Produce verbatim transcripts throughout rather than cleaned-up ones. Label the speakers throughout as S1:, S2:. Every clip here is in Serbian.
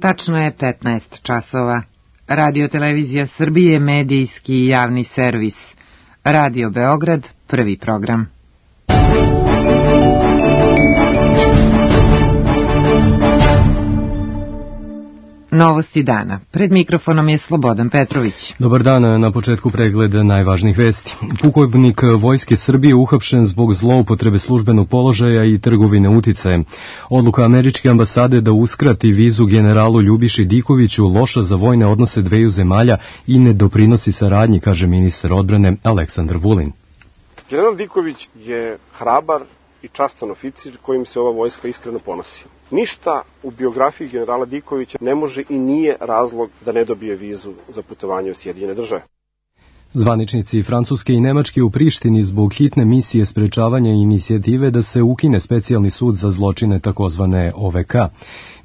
S1: Tačno je petnaest časova. Radio Televizija Srbije, medijski i javni servis. Radio Beograd, prvi program. Novosti dana. Pred mikrofonom je Slobodan Petrović.
S2: Dobar dan, na početku pregled najvažnijih vesti. Pukovnik Vojske Srbije uhapšen zbog zloupotrebe službenog položaja i trgovine uticajem. Odluka američke ambasade da uskrati vizu generalu Ljubiši Dikoviću loša za vojne odnose dveju zemalja i ne doprinosi saradnji, kaže ministar odbrane Aleksandar Vulin.
S3: General Diković je hrabar i častan oficir kojim se ova vojska iskreno ponosi. Ništa u biografiji generala Dikovića ne može i nije razlog da ne dobije vizu za putovanje u Sjedinjene Države.
S2: Zvaničnici Francuske i Nemačke u Prištini zbog hitne misije sprečavanja inicijative da se ukine specijalni sud za zločine takozvane O V K.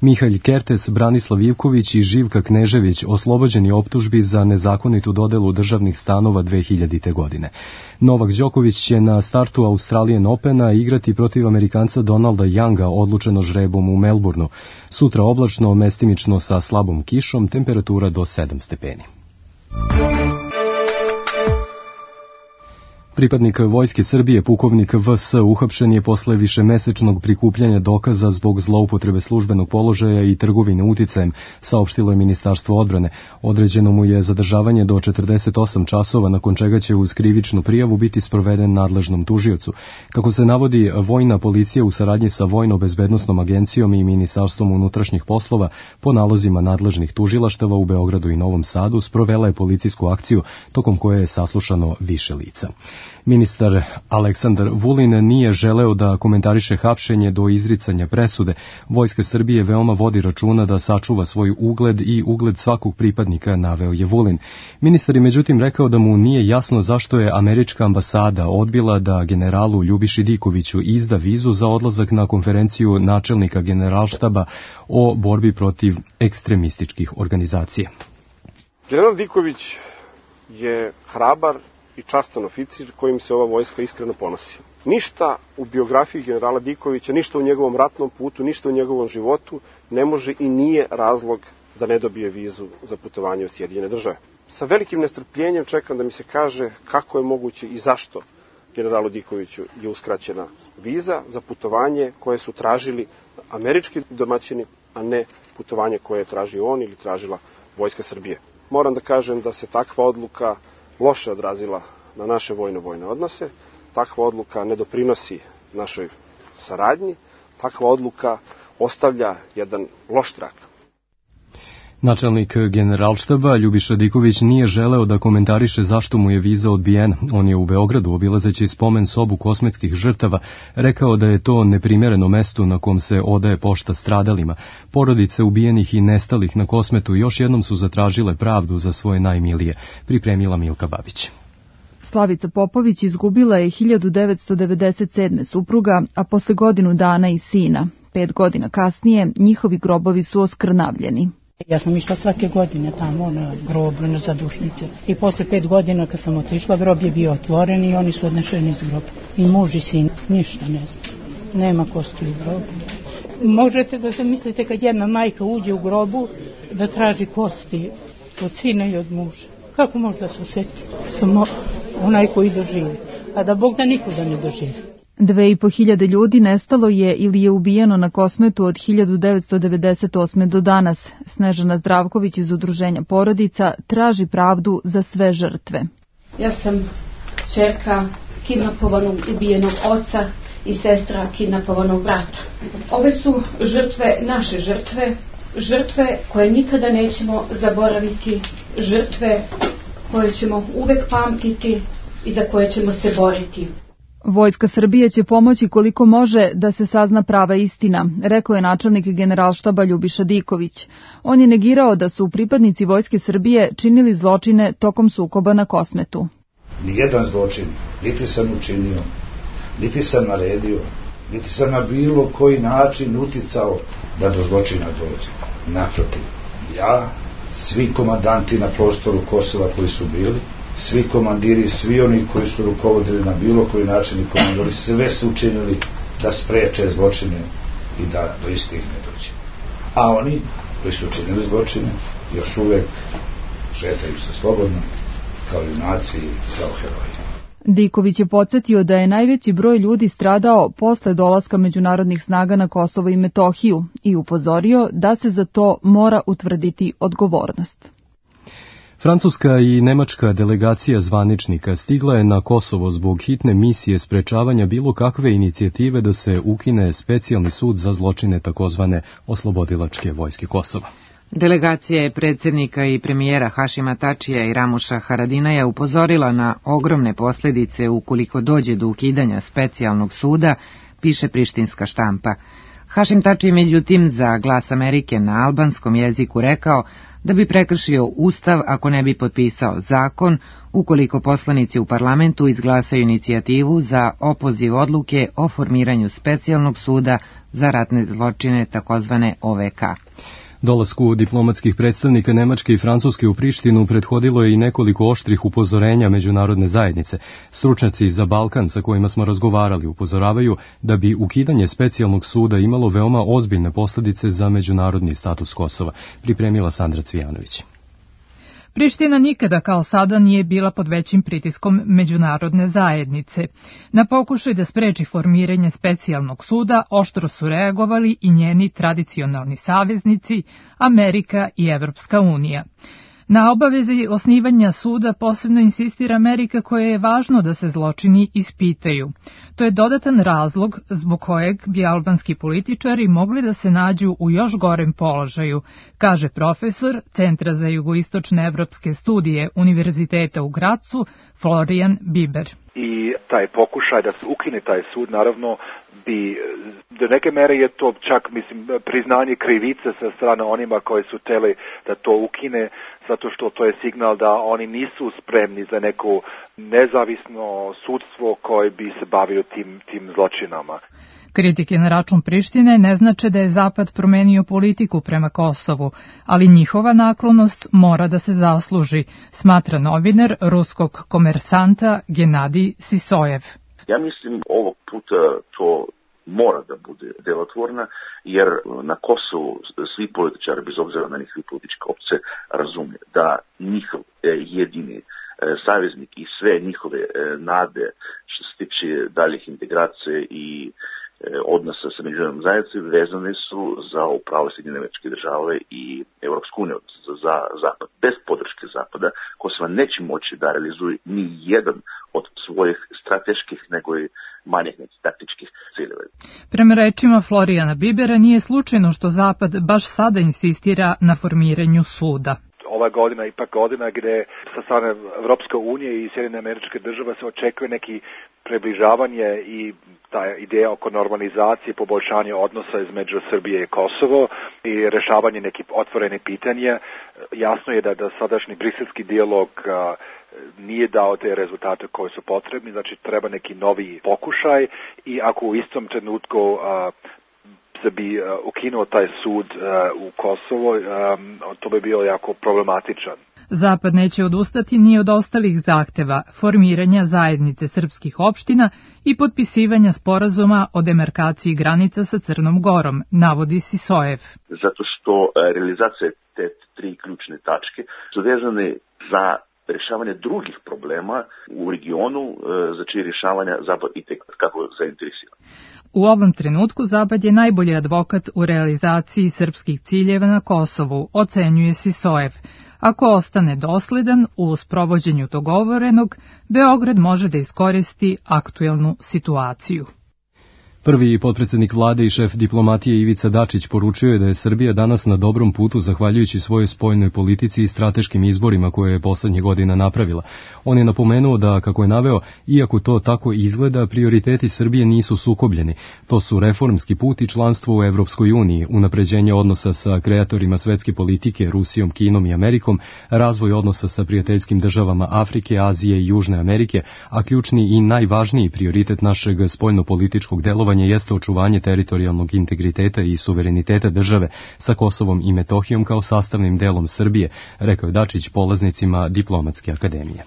S2: Mihalj Kertes, Branislav Ivković i Živka Knežević oslobođeni optužbi za nezakonitu dodelu državnih stanova dve hiljadite. godine. Novak Đoković će na startu Australian Opena igrati protiv Amerikanca Donalda Younga odlučeno žrebom u Melbourneu. Sutra oblačno, mestimično sa slabom kišom, temperatura do sedam stepeni. Pripadnik Vojske Srbije, pukovnik V S, uhapšen je posle višemesečnog prikupljanja dokaza zbog zloupotrebe službenog položaja i trgovine uticajem, saopštilo je Ministarstvo odbrane. Određeno mu je zadržavanje do četrdeset osam časova, nakon čega će uz krivičnu prijavu biti sproveden nadležnom tužiocu. Kako se navodi, vojna policija u saradnji sa Vojno-bezbednosnom agencijom i Ministarstvom unutrašnjih poslova po nalozima nadležnih tužilaštava u Beogradu i Novom Sadu sprovela je policijsku akciju tokom koje je saslušano više lica. Ministar Aleksandar Vulin nije želeo da komentariše hapšenje do izricanja presude. Vojska Srbije veoma vodi računa da sačuva svoj ugled i ugled svakog pripadnika, naveo je Vulin. Ministar je međutim rekao da mu nije jasno zašto je američka ambasada odbila da generalu Ljubiši Dikoviću izda vizu za odlazak na konferenciju načelnika generalštaba o borbi protiv ekstremističkih organizacija.
S3: General Diković je hrabar i častan oficir kojim se ova vojska iskreno ponosi. Ništa u biografiji generala Dikovića, ništa u njegovom ratnom putu, ništa u njegovom životu ne može i nije razlog da ne dobije vizu za putovanje u Sjedinjene Države. Sa velikim nestrpljenjem čekam da mi se kaže kako je moguće i zašto generalu Dikoviću je uskraćena viza za putovanje koje su tražili američki domaćini, a ne putovanje koje je tražio on ili tražila Vojska Srbije. Moram da kažem da se takva odluka loše odrazila na naše vojno-vojne odnose, takva odluka ne doprinosi našoj saradnji, takva odluka ostavlja jedan loš trag.
S2: Načelnik generalštaba Ljubiša Diković nije želeo da komentariše zašto mu je viza odbijena. On je u Beogradu, obilazeći spomen sobu kosmetskih žrtava, rekao da je to neprimereno mesto na kom se odaje pošta stradalima. Porodice ubijenih i nestalih na Kosmetu još jednom su zatražile pravdu za svoje najmilije, pripremila Milka Babić.
S4: Slavica Popović izgubila je hiljadu devetsto devedeset sedme supruga, a posle godinu dana i sina. Pet godina kasnije njihovi grobovi su oskrnavljeni.
S5: Ja sam išla svake godine tamo na grobu, na zadušnice. I posle pet godina kad sam otišla, grob je bio otvoren i oni su odnešeni iz groba. I muž i sin, ništa ne zna. Nema kosti u grobu. Možete da zamislite kad jedna majka uđe u grobu da traži kosti od sina i od muža. Kako može da se osjeti? Samo onaj koji doživi. A da Bog da nikuda ne doživi.
S4: Dve i po hiljade ljudi nestalo je ili je ubijeno na Kosmetu od hiljadu devetsto devedeset osme do danas. Snežana Zdravković iz Udruženja porodica traži pravdu za sve žrtve.
S6: Ja sam ćerka kidnapovanog ubijenog oca i sestra kidnapovanog brata. Ove su žrtve, naše žrtve, žrtve koje nikada nećemo zaboraviti, žrtve koje ćemo uvek pamtiti i za koje ćemo se boriti.
S4: Vojska Srbije će pomoći koliko može da se sazna prava istina, rekao je načelnik generalštaba Ljubiša Diković. On je negirao da su pripadnici Vojske Srbije činili zločine tokom sukoba na Kosmetu.
S7: Nijedan zločin, niti sam učinio, niti sam naredio, niti sam na bilo koji način uticao da do zločina dođe. Naprotiv, ja, svi komandanti na prostoru Kosova koji su bili, svi komandiri, svi oni koji su rukovodili na bilo koji način i komandori, sve su učinili da spreče zločine i da do istih ne dođe. A oni koji su učinili zločine, još uvek šetaju se slobodno, kao junaci, kao heroji.
S4: Diković je podsjetio da je najveći broj ljudi stradao posle dolaska međunarodnih snaga na Kosovo i Metohiju i upozorio da se za to mora utvrditi odgovornost.
S2: Francuska i nemačka delegacija zvaničnika stigla je na Kosovo zbog hitne misije sprečavanja bilo kakve inicijative da se ukine specijalni sud za zločine takozvane oslobodilačke vojske Kosova.
S1: Delegacija je predsjednika i premijera Hašima Tačija i Ramuša Haradinaja upozorila na ogromne posljedice ukoliko dođe do ukidanja specijalnog suda, piše prištinska štampa. Hašim Tači međutim za Glas Amerike na albanskom jeziku rekao da bi prekršio ustav ako ne bi potpisao zakon ukoliko poslanici u parlamentu izglasaju inicijativu za opoziv odluke o formiranju specijalnog suda za ratne zločine takozvane O V K.
S2: Dolasku diplomatskih predstavnika Nemačke i Francuske u Prištinu prethodilo je i nekoliko oštrih upozorenja međunarodne zajednice. Stručnjaci za Balkan sa kojima smo razgovarali upozoravaju da bi ukidanje specijalnog suda imalo veoma ozbiljne posljedice za međunarodni status Kosova, pripremila Sandra Cvijanović.
S8: Priština nikada kao sada nije bila pod većim pritiskom međunarodne zajednice. Na pokušaj da spreči formiranje specijalnog suda oštro su reagovali i njeni tradicionalni saveznici, Amerika i Evropska unija. Na obavezi osnivanja suda posebno insistira Amerika koja je važno da se zločini ispitaju. To je dodatan razlog zbog kojeg bi albanski političari mogli da se nađu u još gorem položaju, kaže profesor Centra za jugoistočne evropske studije Univerziteta u Gracu Florian Biber.
S9: I taj pokušaj da se ukine taj sud, naravno, bi, do neke mere je to čak, mislim, priznanje krivice sa strane onima koji su hteli da to ukine, zato što to je signal da oni nisu spremni za neko nezavisno sudstvo koje bi se bavio tim, tim zločinama.
S8: Kritike na račun Prištine ne znače da je Zapad promenio politiku prema Kosovu, ali njihova naklonost mora da se zasluži, smatra novinar ruskog komersanta Genadij Sisojev.
S10: Ja mislim ovog puta to mora da bude delotvorna, jer na Kosovu svi političari, bez obzira na njihove političke opcije, razume da njihov jedini saveznik i sve njihove nade što se tiče daljih integracije i odnosa sa međunarodnom zajednicom vezane su za upravo Sjedinjene Američke Države i Evropsku uniju, za, za Zapad. Bez podrške Zapada Kosovo neće moći da realizuje ni jedan od svojih strateških nego i manjih nekih taktičkih ciljeva.
S8: Prema rečima Florijana Bibera nije slučajno što Zapad baš sada insistira na formiranju suda.
S9: Ova godina ipak godina gde sa strane Evropske unije i Sjedinjene Američke Države se očekuje neki približavanje i ta ideja oko normalizacije, poboljšanja odnosa između Srbije i Kosovo i rešavanje nekih otvorenih pitanja. Jasno je da, da sadašnji briselski dijalog a, nije dao te rezultate koji su potrebni, znači treba neki novi pokušaj i ako u istom trenutku a, se bi uh, ukinuo taj sud uh, u Kosovo, um, to bi bilo jako problematičan.
S8: Zapad neće odustati ni od ostalih zahteva, formiranja zajednice srpskih opština i potpisivanja sporazuma o demarkaciji granica sa Crnom Gorom, navodi Sisojev.
S10: Zato što uh, realizacija te tri ključne tačke su vezane za rješavanje drugih problema u regionu, uh, za čije rješavanja Zapad i tek kako zainteresiran.
S8: U ovom trenutku Zapad je najbolji advokat u realizaciji srpskih ciljeva na Kosovu, ocenjuje Sisojev. Ako ostane dosledan u sprovođenju dogovorenog, Beograd može da iskoristi aktuelnu situaciju.
S2: Prvi potpredsjednik vlade i šef diplomatije Ivica Dačić poručio je da je Srbija danas na dobrom putu zahvaljujući svojoj spoljnoj politici i strateškim izborima koje je poslednjih godina napravila. On je napomenuo da, kako je naveo, iako to tako izgleda, prioriteti Srbije nisu sukobljeni. To su reformski put i članstvo u Evropskoj uniji, unapređenje odnosa sa kreatorima svetske politike, Rusijom, Kinom i Amerikom, razvoj odnosa sa prijateljskim državama Afrike, Azije i Južne Amerike, a ključni i najvažniji prioritet našeg spoljnopolitičkog delovanja jeste očuvanje teritorijalnog integriteta i suvereniteta države sa Kosovom i Metohijom kao sastavnim delom Srbije, rekao je Dačić polaznicima Diplomatske akademije.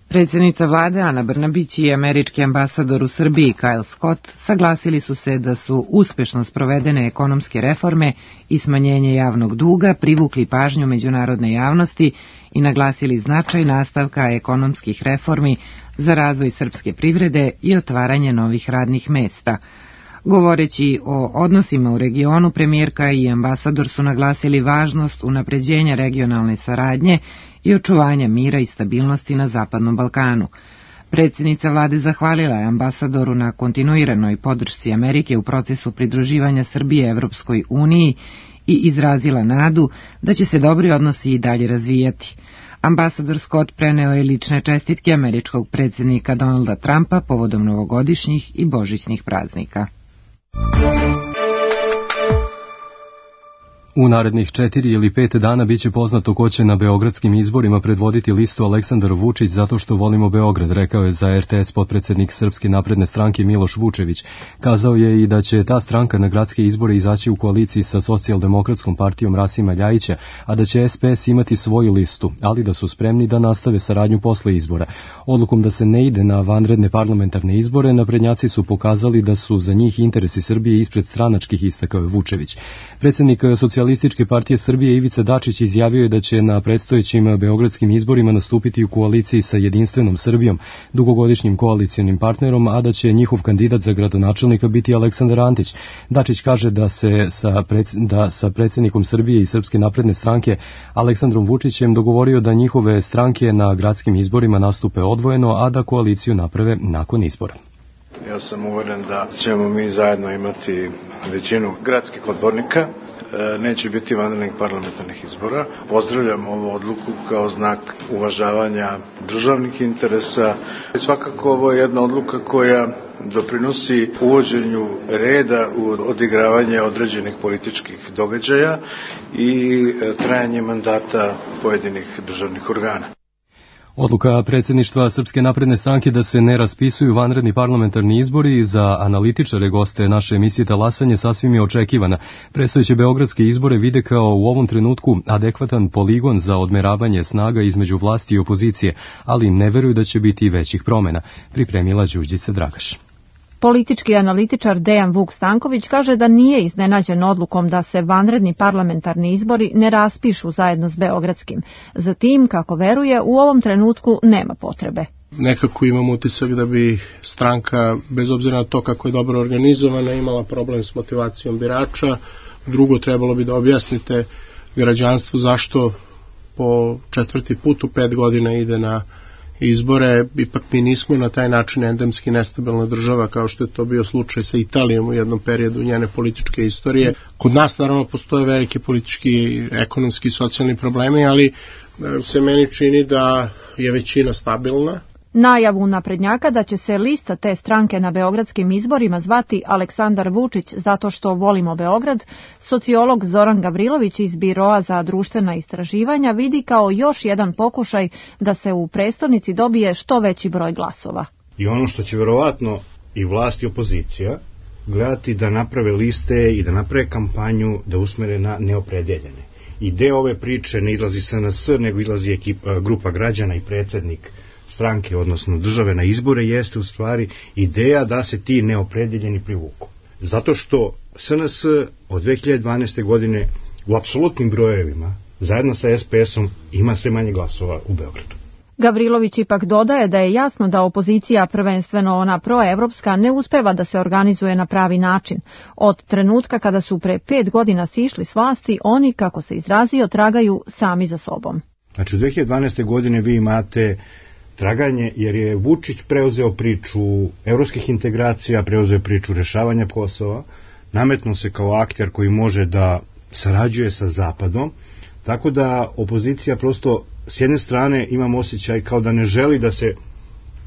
S1: Predsjednica vlade Ana Brnabić i američki ambasador u Srbiji Kyle Scott saglasili su se da su uspešno sprovedene ekonomske reforme i smanjenje javnog duga privukli pažnju međunarodne javnosti i naglasili značaj nastavka ekonomskih reformi za razvoj srpske privrede i otvaranje novih radnih mesta. Govoreći o odnosima u regionu, premijerka i ambasador su naglasili važnost unapređenja regionalne saradnje i očuvanja mira i stabilnosti na Zapadnom Balkanu. Predsjednica vlade zahvalila je ambasadoru na kontinuiranoj podršci Amerike u procesu pridruživanja Srbije Evropskoj uniji i izrazila nadu da će se dobri odnosi i dalje razvijati. Ambasador Scott preneo je lične čestitke američkog predsjednika Donalda Trumpa povodom novogodišnjih i božićnih praznika.
S2: U narednih četiri ili pet dana biće poznato ko će na beogradskim izborima predvoditi listu Aleksandar Vučić zato što volimo Beograd, rekao je za R T S potpredsednik Srpske napredne stranke Miloš Vučević. Kazao je i da će ta stranka na gradske izbore izaći u koaliciji sa Socijaldemokratskom partijom Rasima Ljajića, a da će S P S imati svoju listu, ali da su spremni da nastave saradnju posle izbora. Odlukom da se ne ide na vanredne parlamentarne izbore, naprednjaci su pokazali da su za njih interesi Srbije ispred stranačkih, istakao je Vučević. Predsjednik Socijaldemokratičke Socijalističke partije Srbije Ivica Dačić izjavio je da će na predstojećim beogradskim izborima nastupiti u koaliciji sa Jedinstvenom Srbijom, dugogodišnjim koalicionim partnerom, a da će njihov kandidat za gradonačelnika biti Aleksandar Antić. Dačić kaže da se sa, pred, da sa predsjednikom Srbije i Srpske napredne stranke Aleksandrom Vučićem dogovorio da njihove stranke na gradskim izborima nastupe odvojeno, a da koaliciju naprave nakon izbora.
S11: Ja sam uveren da ćemo mi zajedno imati većinu gradskih odbornika. Neće biti vanrednih parlamentarnih izbora. Pozdravljam ovu odluku kao znak uvažavanja državnih interesa. Svakako ovo je jedna odluka koja doprinosi uvođenju reda u odigravanje određenih političkih događaja i trajanje mandata pojedinih državnih organa.
S2: Odluka predsjedništva Srpske napredne stranke da se ne raspisuju vanredni parlamentarni izbori za analitičare goste naše emisije Talasanje sasvim je očekivana. Predstojeće beogradske izbore vide kao u ovom trenutku adekvatan poligon za odmeravanje snaga između vlasti i opozicije, ali ne veruju da će biti većih promjena, pripremila Đurđica Dragaš.
S12: Politički analitičar Dejan Vuk Stanković kaže da nije iznenađen odlukom da se vanredni parlamentarni izbori ne raspišu zajedno s beogradskim. Zatim, kako veruje, u ovom trenutku nema potrebe.
S13: Nekako imam utisak da bi stranka, bez obzira na to kako je dobro organizovana, imala problem s motivacijom birača. Drugo, trebalo bi da objasnite građanstvu zašto po četvrti put u pet godina ide na izbore. Ipak mi nismo na taj način endemski nestabilna država kao što je to bio slučaj sa Italijom u jednom periodu njene političke istorije. Kod nas naravno postoje velike politički, ekonomski i socijalni problemi, ali se meni čini da je većina stabilna.
S12: Najavu naprednjaka da će se lista te stranke na beogradskim izborima zvati Aleksandar Vučić zato što volimo Beograd, sociolog Zoran Gavrilović iz Biroa za društvena istraživanja vidi kao još jedan pokušaj da se u prestonici dobije što veći broj glasova.
S14: I ono što će verovatno i vlast i opozicija gledati da naprave liste i da naprave kampanju da usmere na neopredeljene. I deo ove priče ne izlazi S N S, nego izlazi ekipa, grupa građana i predsjednik stranke, odnosno države na izbore, jeste u stvari ideja da se ti neopredeljeni privuku. Zato što S N S od dve hiljade dvanaeste. godine u apsolutnim brojevima, zajedno sa S P S-om, ima sve manje glasova u Beogradu.
S12: Gavrilović ipak dodaje da je jasno da opozicija, prvenstveno ona proevropska, ne uspeva da se organizuje na pravi način. Od trenutka kada su pre pet godina sišli s vlasti, oni, kako se izrazio, tragaju sami za sobom.
S14: Znači u dve hiljade dvanaeste. godine vi imate traganje jer je Vučić preuzeo priču evropskih integracija, preuzeo priču rešavanja Kosova, nametnuo se kao akter koji može da sarađuje sa Zapadom, tako da opozicija prosto s jedne strane imam osjećaj kao da ne želi da se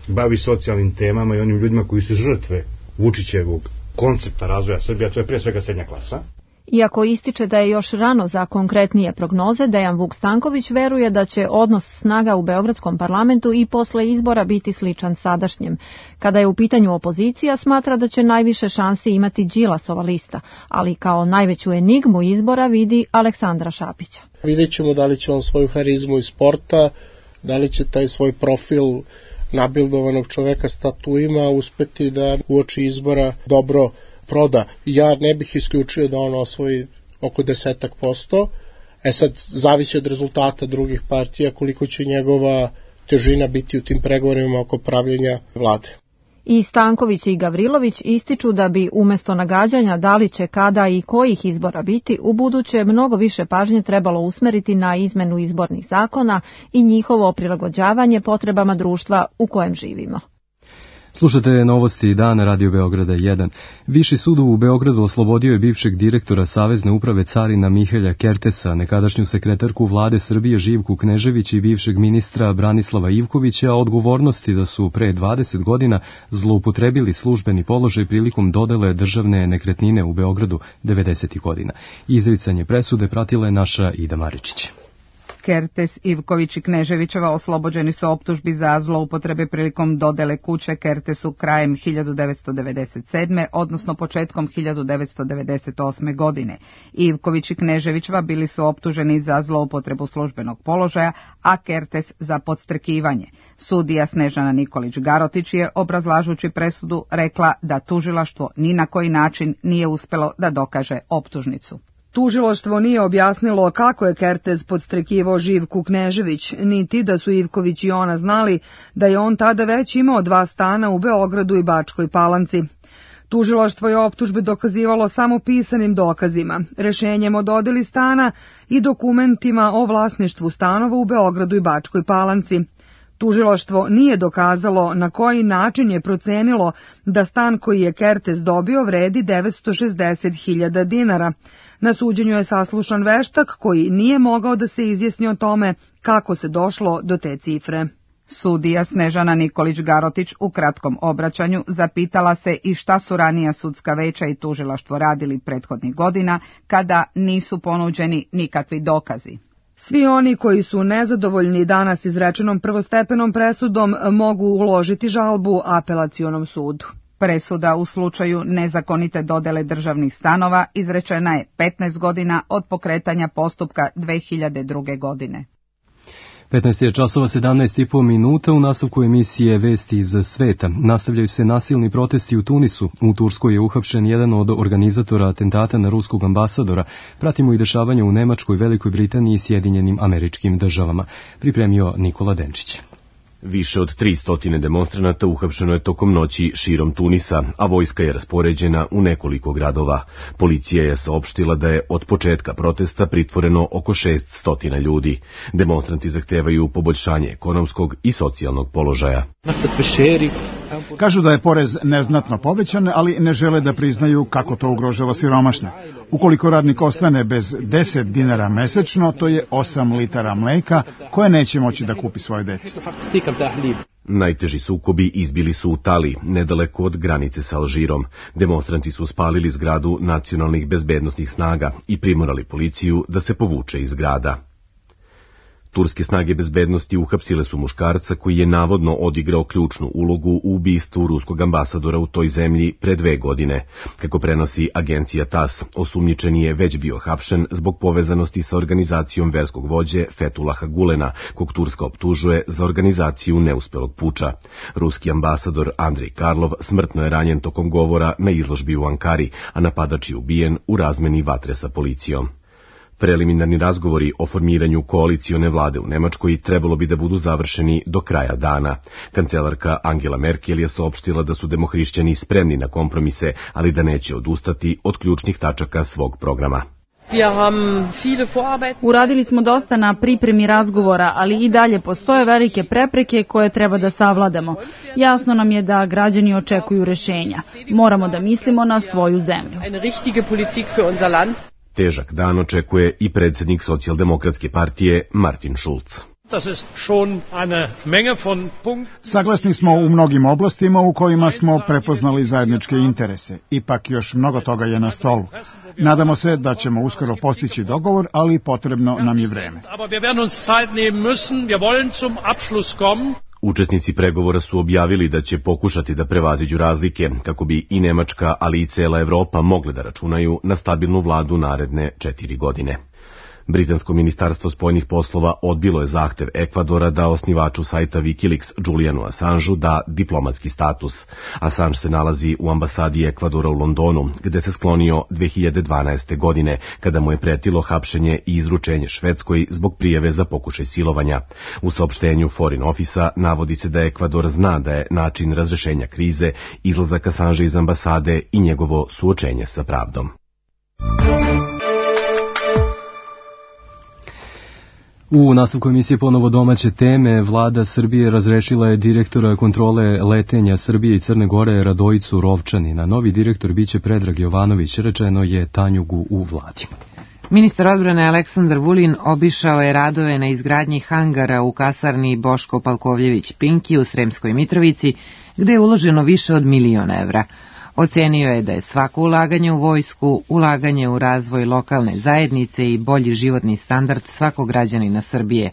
S14: bavi socijalnim temama i onim ljudima koji su žrtve Vučićevog koncepta razvoja Srbije, to je pre svega srednja klasa.
S12: Iako ističe da je još rano za konkretnije prognoze, Dejan Vuk Stanković veruje da će odnos snaga u beogradskom parlamentu i posle izbora biti sličan sadašnjem. Kada je u pitanju opozicija, smatra da će najviše šansi imati Đilasova lista, ali kao najveću enigmu izbora vidi Aleksandra Šapića.
S13: Vidjet ćemo da li će on svoju harizmu iz sporta, da li će taj svoj profil nabildovanog čoveka s tatuima uspeti da uoči izbora dobro proda. Ja ne bih isključio da on osvoji oko desetak posto, e sad zavisi od rezultata drugih partija koliko će njegova težina biti u tim pregovorima oko pravljenja vlade.
S12: I Stanković i Gavrilović ističu da bi umesto nagađanja da li će kada i kojih izbora biti, u buduće mnogo više pažnje trebalo usmeriti na izmenu izbornih zakona i njihovo prilagođavanje potrebama društva u kojem živimo.
S2: Slušate novosti dana Radio Beograda jedan. Viši sud u Beogradu oslobodio je bivšeg direktora Savezne uprave carina Mihelja Kertesa, nekadašnju sekretarku vlade Srbije Živku Knežević i bivšeg ministra Branislava Ivkovića odgovornosti da su pre dvadeset godina zloupotrebili službeni položaj prilikom dodele državne nekretnine u Beogradu devedesetih godina. Izricanje presude pratila je naša Ida Maričić.
S15: Kertes, Ivković i Kneževićeva oslobođeni su optužbi za zloupotrebe prilikom dodele kuće Kertesu krajem hiljadu devetsto devedeset sedme. odnosno početkom hiljadu devetsto devedeset osme. godine. Ivković i Kneževićeva bili su optuženi za zloupotrebu službenog položaja, a Kertes za podstrekivanje. Sudija Snežana Nikolić-Garotić je, obrazlažući presudu, rekla da tužilaštvo ni na koji način nije uspelo da dokaže optužnicu.
S16: Tužilaštvo nije objasnilo kako je Kertes podstrekivao Živku Knežević, niti da su Ivković i ona znali da je on tada već imao dva stana u Beogradu i Bačkoj Palanci. Tužilaštvo je optužbe dokazivalo samo pisanim dokazima, rešenjem o dodeli stana i dokumentima o vlasništvu stanova u Beogradu i Bačkoj Palanci. Tužilaštvo nije dokazalo na koji način je procenilo da stan koji je Kertes dobio vredi devetsto šezdeset hiljada dinara. Na suđenju je saslušan veštak koji nije mogao da se izjasni o tome kako se došlo do te cifre.
S15: Sudija Snežana Nikolić-Garotić u kratkom obraćanju zapitala se i šta su ranija sudska veća i tužilaštvo radili prethodnih godina kada nisu ponuđeni nikakvi dokazi.
S16: Svi oni koji su nezadovoljni danas izrečenom prvostepenom presudom mogu uložiti žalbu apelacionom sudu.
S15: Presuda u slučaju nezakonite dodele državnih stanova izrečena je petnaest godina od pokretanja postupka dve hiljade druge. godine.
S2: petnaest je časova sedamnaest i po minuta. U nastavku emisije Vesti iz sveta nastavljaju se nasilni protesti u Tunisu. U Turskoj je uhapšen jedan od organizatora atentata na ruskog ambasadora. Pratimo i dešavanja u Nemačkoj, Velikoj Britaniji i Sjedinjenim Američkim Državama. Pripremio Nikola Denčić.
S17: Više od tristo demonstranata uhapšeno je tokom noći širom Tunisa, a vojska je raspoređena u nekoliko gradova. Policija je saopštila da je od početka protesta pritvoreno oko šeststo ljudi. Demonstranti zahtevaju poboljšanje ekonomskog i socijalnog položaja.
S18: Kažu da je porez neznatno povećan, ali ne žele da priznaju kako to ugrožava siromašne. Ukoliko radnik ostane bez deset dinara mesečno, to je osam litara mleka koje neće moći da kupi svoje deci.
S17: Najteži sukobi izbili su u Tali, nedaleko od granice sa Alžirom. Demonstranti su spalili zgradu nacionalnih bezbednosnih snaga i primorali policiju da se povuče iz grada. Turske snage bezbednosti uhapsile su muškarca koji je navodno odigrao ključnu ulogu u ubistvu ruskog ambasadora u toj zemlji pre dve godine. Kako prenosi agencija TAS, osumnjičeni je već bio hapšen zbog povezanosti sa organizacijom verskog vođe Fetulaha Gulena, kog Turska optužuje za organizaciju neuspelog puča. Ruski ambasador Andrej Karlov smrtno je ranjen tokom govora na izložbi u Ankari, a napadač je ubijen u razmeni vatre sa policijom. Preliminarni razgovori o formiranju koalicione vlade u Nemačkoj trebalo bi da budu završeni do kraja dana. Kancelarka Angela Merkel je saopštila da su demohrišćani spremni na kompromise, ali da neće odustati od ključnih tačaka svog programa.
S19: Uradili smo dosta na pripremi razgovora, ali i dalje postoje velike prepreke koje treba da savladamo. Jasno nam je da građani očekuju rešenja. Moramo da mislimo na svoju zemlju.
S17: Težak dan očekuje i predsjednik socijaldemokratske partije Martin Schulz.
S18: Saglasni smo u mnogim oblastima u kojima smo prepoznali zajedničke interese. Ipak još mnogo toga je na stolu. Nadamo se da ćemo uskoro postići dogovor, ali potrebno nam je vreme.
S17: Učesnici pregovora su objavili da će pokušati da prevaziđu razlike kako bi i Nemačka, ali i cela Evropa mogle da računaju na stabilnu vladu naredne četiri godine. Britansko ministarstvo spoljnih poslova odbilo je zahtev Ekvadora da osnivaču sajta Wikileaks Julianu Assangeu da diplomatski status. Assange se nalazi u ambasadi Ekvadora u Londonu, gde se sklonio dve hiljade dvanaeste. godine, kada mu je pretilo hapšenje i izručenje Švedskoj zbog prijave za pokušaj silovanja. U saopštenju Foreign Office-a navodi se da Ekvador zna da je način razrešenja krize izlazak Assangea iz ambasade i njegovo suočenje sa pravdom.
S2: U nastavku emisije ponovo domaće teme, vlada Srbije razrešila je direktora kontrole letenja Srbije i Crne Gore Radojicu Rovčanina. Novi direktor biće Predrag Jovanović, rečeno je Tanjugu u vladi.
S1: Ministar odbrane Aleksandar Vulin obišao je radove na izgradnji hangara u kasarni Boško Palkovljević Pinki u Sremskoj Mitrovici, gde je uloženo više od milion evra. Ocenio je da je svako ulaganje u vojsku, ulaganje u razvoj lokalne zajednice i bolji životni standard svakog građanina Srbije.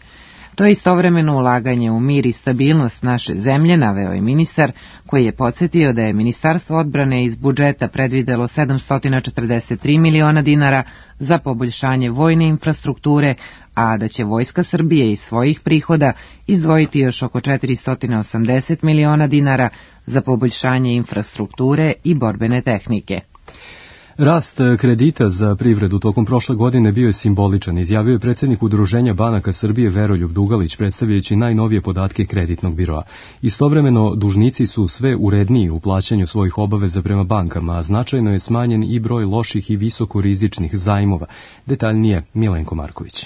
S1: To je istovremeno ulaganje u mir i stabilnost naše zemlje, naveo je ministar, koji je podsjetio da je Ministarstvo odbrane iz budžeta predvidelo sedamsto četrdeset tri miliona dinara za poboljšanje vojne infrastrukture, a da će Vojska Srbije iz svojih prihoda izdvojiti još oko četiristo osamdeset miliona dinara za poboljšanje infrastrukture i borbene tehnike.
S2: Rast kredita za privredu tokom prošle godine bio je simboličan, izjavio je predsjednik Udruženja banaka Srbije Veroljub Dugalić, predstavljajući najnovije podatke kreditnog biroa. Istovremeno, dužnici su sve uredniji u plaćanju svojih obaveza prema bankama, a značajno je smanjen i broj loših i visokorizičnih zajmova. Detaljnije Milenko Marković.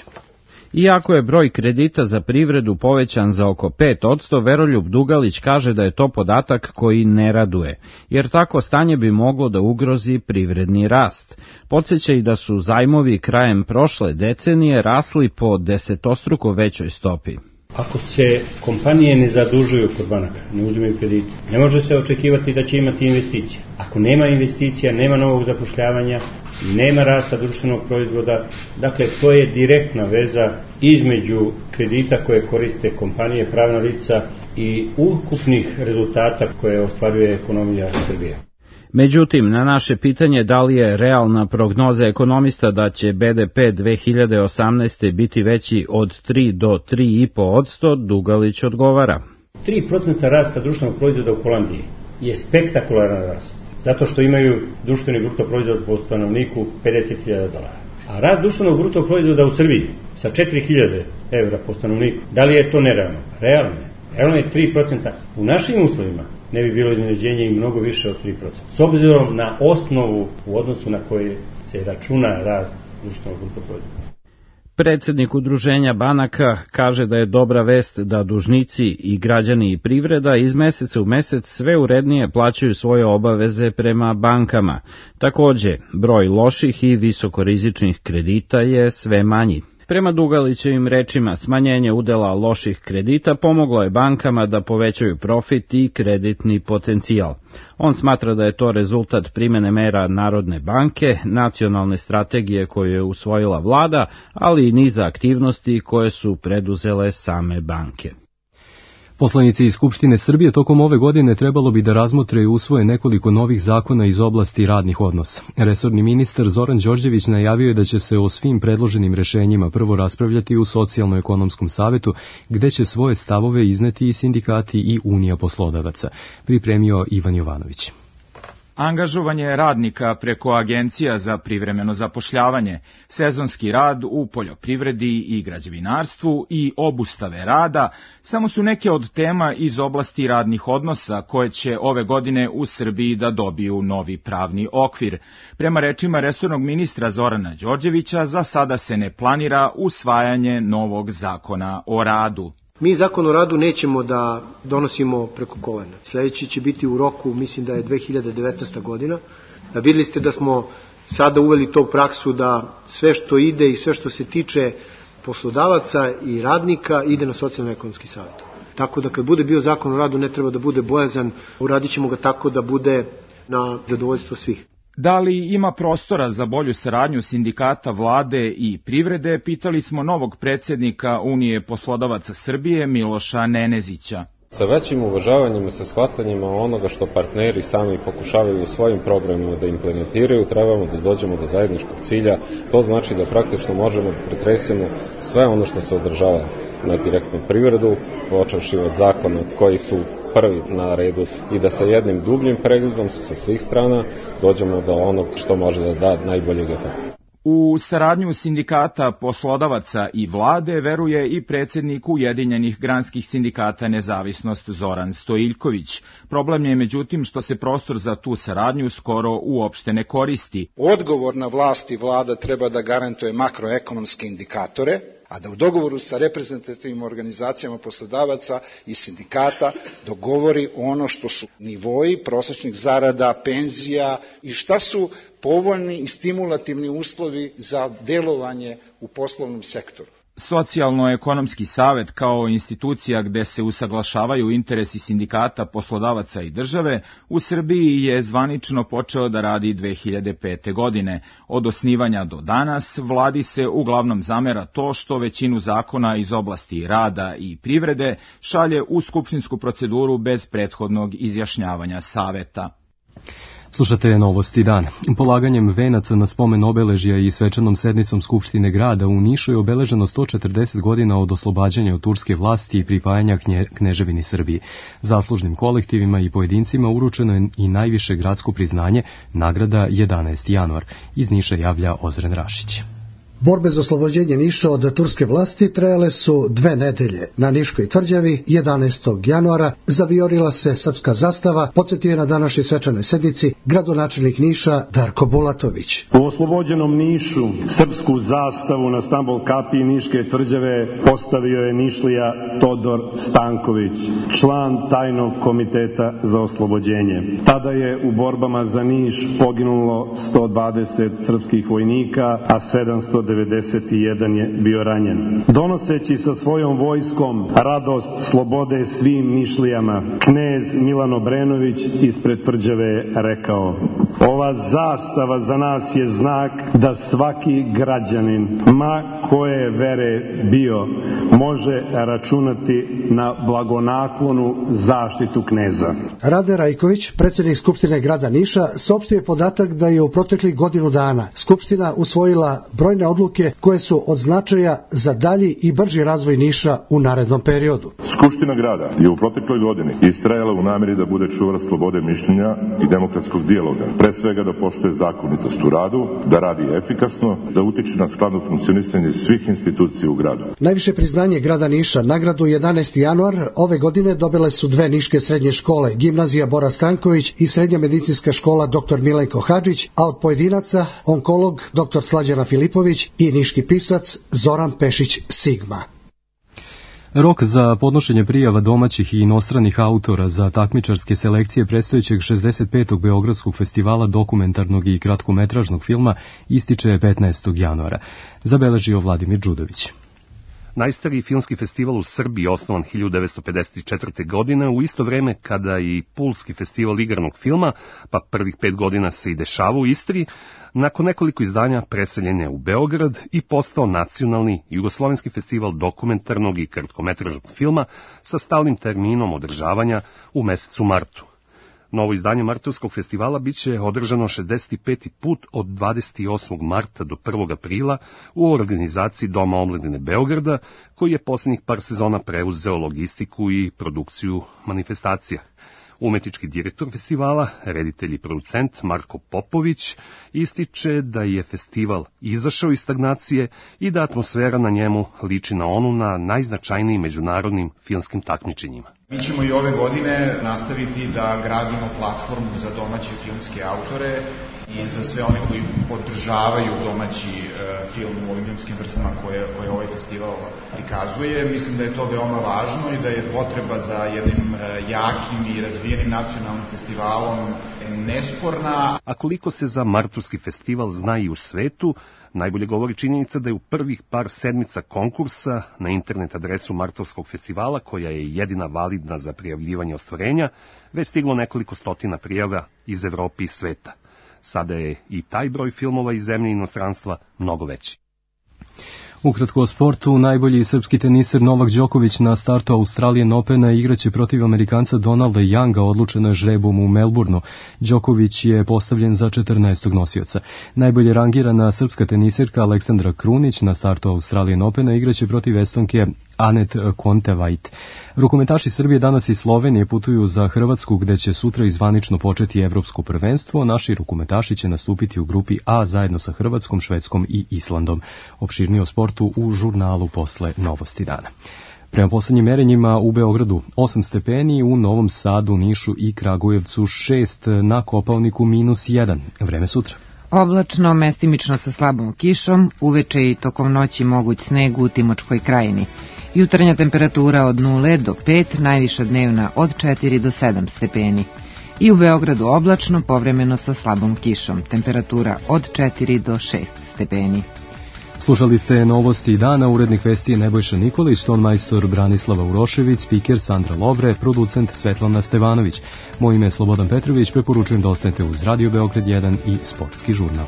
S20: Iako je broj kredita za privredu povećan za oko pet posto, Veroljub Dugalić kaže da je to podatak koji ne raduje, jer tako stanje bi moglo da ugrozi privredni rast. Podsjeća i da su zajmovi krajem prošle decenije rasli po desetostruko većoj stopi.
S21: Ako se kompanije ne zadužuju kod banaka, ne uzimaju kredite, ne može se očekivati da će imati investicije. Ako nema investicija, nema novog zapošljavanja, nema rasta društvenog proizvoda, dakle to je direktna veza između kredita koje koriste kompanije, pravna lica i ukupnih rezultata koje ostvaruje ekonomija Srbije.
S20: Međutim, na naše pitanje da li je realna prognoza ekonomista da će be de pe dve hiljade osamnaeste. biti veći od tri do tri i po posto, Dugalić odgovara.
S21: tri procenta rasta društvenog proizvoda u Holandiji je spektakularan rast, zato što imaju društveni bruto proizvod po stanovniku pedeset hiljada dolara. A rast društvenog bruto proizvoda u Srbiji sa četiri hiljade evra po stanovniku, da li je to nerealno? Realno je. Realno je tri procenta. U našim uslovima ne bi bilo iznenađenje i mnogo više od tri procenta. S obzirom na osnovu u odnosu na koje se računa rast društvenog bruto proizvoda.
S20: Predsjednik Udruženja banaka kaže da je dobra vest da dužnici i građani i privreda iz meseca u mesec sve urednije plaćaju svoje obaveze prema bankama. Takođe, broj loših i visokorizičnih kredita je sve manji. Prema Dugalićevim rečima, smanjenje udela loših kredita pomoglo je bankama da povećaju profit i kreditni potencijal. On smatra da je to rezultat primene mera Narodne banke, nacionalne strategije koju je usvojila vlada, ali i niza aktivnosti koje su preduzele same banke.
S2: Poslanici iz Skupštine Srbije tokom ove godine trebalo bi da razmotre i usvoje nekoliko novih zakona iz oblasti radnih odnosa. Resorni ministar Zoran Đorđević najavio je da će se o svim predloženim rešenjima prvo raspravljati u Socijalno-ekonomskom savetu, gde će svoje stavove izneti i sindikati i Unija poslodavaca. Pripremio Ivan Jovanović.
S22: Angažovanje radnika preko agencija za privremeno zapošljavanje, sezonski rad u poljoprivredi i građevinarstvu i obustave rada samo su neke od tema iz oblasti radnih odnosa koje će ove godine u Srbiji da dobiju novi pravni okvir. Prema rečima resornog ministra Zorana Đorđevića, za sada se ne planira usvajanje novog zakona o radu.
S23: Mi zakon o radu nećemo da donosimo preko kolena. Sljedeći će biti u roku, mislim da je dve hiljade devetnaesta. godina. Vidjeli ste da smo sada uveli to praksu da sve što ide i sve što se tiče poslodavaca i radnika ide na socijalno-ekonomski savjet. Tako da kad bude bio zakon o radu ne treba da bude bojazan, uradit ćemo ga tako da bude na zadovoljstvo svih.
S22: Da li ima prostora za bolju saradnju sindikata, vlade i privrede, pitali smo novog predsjednika Unije poslodavaca Srbije Miloša Nenezića.
S3: Sa većim uvažavanjem i sa shvatanjima onoga što partneri sami pokušavaju u svojim programima da implementiraju, trebamo da dođemo do zajedničkog cilja. To znači da praktično možemo da pretresemo sve ono što se održava na direktnu privredu, počevši od zakona koji su prvi na redu i da sa jednim dubljim pregledom sa svih strana dođemo do onog što može da da najboljeg efekta.
S22: U saradnju sindikata, poslodavaca i vlade veruje i predsjednik Ujedinjenih granskih sindikata Nezavisnost Zoran Stojiljković. Problem je međutim što se prostor za tu saradnju skoro uopšte ne koristi.
S5: Odgovorna vlast i vlada treba da garantuje makroekonomske indikatore, a da u dogovoru sa reprezentativnim organizacijama poslodavaca i sindikata dogovori ono što su nivoji prosječnih zarada, penzija i šta su povoljni i stimulativni uslovi za delovanje u poslovnom sektoru.
S22: Socijalno-ekonomski savet kao institucija gde se usaglašavaju interesi sindikata, poslodavaca i države u Srbiji je zvanično počeo da radi dve hiljade pete. godine. Od osnivanja do danas vladi se uglavnom zamera to što većinu zakona iz oblasti rada i privrede šalje u skupštinsku proceduru bez prethodnog izjašnjavanja saveta.
S2: Slušate Novosti dan. Polaganjem venaca na spomen obeležja i svečanom sednicom Skupštine grada u Nišu je obeleženo sto četrdeset godina od oslobađanja od turske vlasti i pripajanja knje, Kneževini Srbiji. Zaslužnim kolektivima i pojedincima uručeno je i najviše gradsko priznanje, nagrada jedanaesti januar. Iz Niša javlja Ozren Rašić.
S6: Borbe za oslobođenje Niša od turske vlasti trajale su dve nedelje. Na Niškoj tvrđavi jedanaestog januara zavijorila se srpska zastava, podsjetio je na današnjoj svečanoj sednici gradonačelnik Niša Darko Bulatović.
S24: U oslobođenom Nišu srpsku zastavu na stambol kapiji Niške tvrđave postavio je Nišlija Todor Stanković, član tajnog komiteta za oslobođenje. Tada je u borbama za Niš poginulo sto dvadeset srpskih vojnika, a sedamsto devedeset jedan je bio ranjen. Donoseći sa svojom vojskom radost slobode svim Nišlijama, knez Milan Obrenović ispred tvrđave je rekao: ova zastava za nas je znak da svaki građanin, ma koje vere bio, može računati na blagonaklonu zaštitu kneza.
S6: Rade Rajković, predsjednik Skupštine grada Niša, saopštio je podatak da je u proteklih godinu dana Skupština usvojila brojne odluke koje su od značaja za dalji i brži razvoj Niša u narednom periodu.
S25: Skupština grada je u protekloj godini istrajala u nameri da bude čuvar slobode mišljenja i demokratskog dijaloga. Pre svega da poštuje zakonitost u radu, da radi efikasno, da utiče na skladno funkcionisanje svih institucija u gradu.
S6: Najviše priznanje grada Niša, nagradu jedanaesti januar, ove godine dobile su dve niške srednje škole, gimnazija Bora Stanković i srednja medicinska škola doktor Milenko Hadžić, a od pojedinaca onkolog doktor Slađana Filipović i niški pisac Zoran Pešić Sigma.
S2: Rok za podnošenje prijava domaćih i inostranih autora za takmičarske selekcije predstojećeg šezdeset petog Beogradskog festivala dokumentarnog i kratkometražnog filma ističe petnaestog januara, zabeležio Vladimir Đudović.
S26: Najstariji filmski festival u Srbiji osnovan hiljadu devetsto pedeset četvrte. godine u isto vreme kada i Pulski festival igranog filma, pa prvih pet godina se i dešava u Istri, nakon nekoliko izdanja preseljen je u Beograd i postao nacionalni jugoslovenski festival dokumentarnog i kratkometražnog filma sa stalnim terminom održavanja u mesecu martu. Novo izdanje Martovskog festivala biće održano šezdeset peti put od dvadeset osmog marta do prvog aprila u organizaciji Doma omladine Beograda, koji je posljednjih par sezona preuzeo logistiku i produkciju manifestacija. Umetnički direktor festivala, reditelj i producent Marko Popović, ističe da je festival izašao iz stagnacije i da atmosfera na njemu liči na onu na najznačajnijim međunarodnim filmskim takmičenjima.
S27: Mi ćemo i ove godine nastaviti da gradimo platformu za domaće filmske autore i za sve one koji podržavaju domaći e, film u ovim filmskim vrstama koje, koje ovaj festival prikazuje. Mislim da je to veoma važno i da je potreba za jednim e, jakim i razvijenim nacionalnim festivalom nesporna.
S26: A koliko se za Martovski festival zna i u svetu, najbolje govori činjenica da je u prvih par sedmica konkursa na internet adresu Martovskog festivala, koja je jedina validna za prijavljivanje ostvarenja, već stiglo nekoliko stotina prijava iz Evrope i sveta. Sada je i taj broj filmova iz zemlje i inostranstva mnogo veći.
S2: Ukratko o sportu, najbolji srpski teniser Novak Đoković na startu Australian Opena igraće protiv Amerikanca Donalda Younga, odlučeno je žrebom u Melbourneu. Đoković je postavljen za četrnaestog nosioca. Najbolje rangirana srpska teniserka Aleksandra Krunić na startu Australian Opena igraće protiv Estonke Anet Kontaveit. Rukometaši Srbije danas i Slovenije putuju za Hrvatsku, gde će sutra izvanično početi evropsko prvenstvo. Naši rukometaši će nastupiti u grupi A zajedno sa Hrvatskom, Švedskom i Islandom. Opširnije o sportu u žurnalu posle Novosti dana. Prema poslednjim merenjima u Beogradu osam stepeni, u Novom Sadu, Nišu i Kragujevcu šest, na Kopaoniku minus jedan. Vreme sutra.
S1: Oblačno, mestimično sa slabom kišom, uveče i tokom noći moguć sneg u Timočkoj krajini. Jutarnja temperatura od nula do pet, najviša dnevna od četiri do sedam stepeni. I u Beogradu oblačno, povremeno sa slabom kišom, temperatura od četiri do šest stepeni.
S2: Slušali ste Novosti dana, urednik vesti je Nebojša Nikolić, ton majstor Branislava Urošević, spiker Sandra Lovre, producent Svetlana Stevanović. Moje ime je Slobodan Petrović, preporučujem da ostanete uz Radio Beograd jedan i Sportski žurnal.